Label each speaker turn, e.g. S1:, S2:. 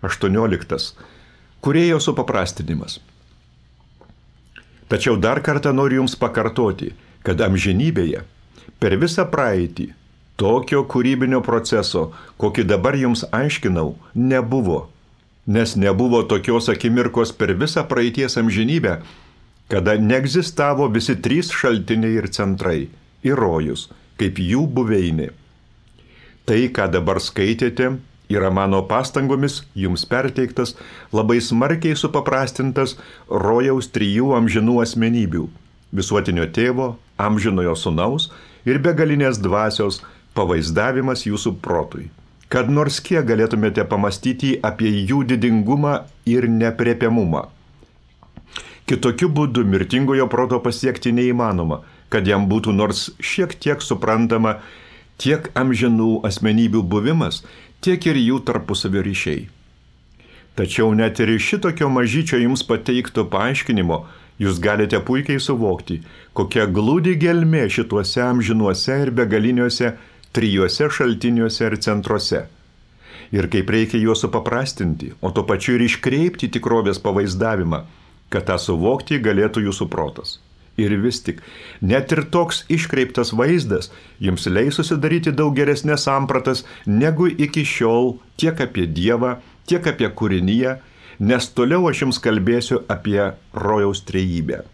S1: 18. Kūrėjo supaprastinimas. Tačiau dar kartą noriu jums pakartoti, kad amžinybėje per visą praeitį tokio kūrybinio proceso, kokį dabar jums aiškinau, nebuvo. Nes nebuvo tokios akimirkos per visą praeities amžinybę, kada neegzistavo visi trys šaltiniai ir centrai ir rojus, kaip jų buveinė. Tai, ką dabar skaitėte, yra mano pastangomis jums perteiktas labai smarkiai supaprastintas rojaus trijų amžinų asmenybių – visuotinio tėvo, amžinojo sūnaus ir begalinės dvasios pavaizdavimas jūsų protui, kad nors kiek galėtumėte pamastyti apie jų didingumą ir nepriepiamumą. Kitokiu būdu mirtingojo proto pasiekti neįmanoma, kad jam būtų nors šiek tiek suprantama tiek amžinų asmenybių buvimas, tiek ir jų tarpusavio ryšiai. Tačiau net ir iš šitokio mažyčio jums pateikto paaiškinimo jūs galite puikiai suvokti, kokia glūdi gelmė šituose amžinuose ir begaliniuose trijuose šaltiniuose ir centruose. Ir kaip reikia juos supaprastinti, o tuo pačiu ir iškreipti tikrovės pavaizdavimą, kad tą suvokti galėtų jūsų protas. Ir vis tik, net ir toks iškreiptas vaizdas jums leis susidaryti daug geresnės sampratas negu iki šiol tiek apie Dievą, tiek apie kūriniją, nes toliau aš jums kalbėsiu apie rojaus trejybę.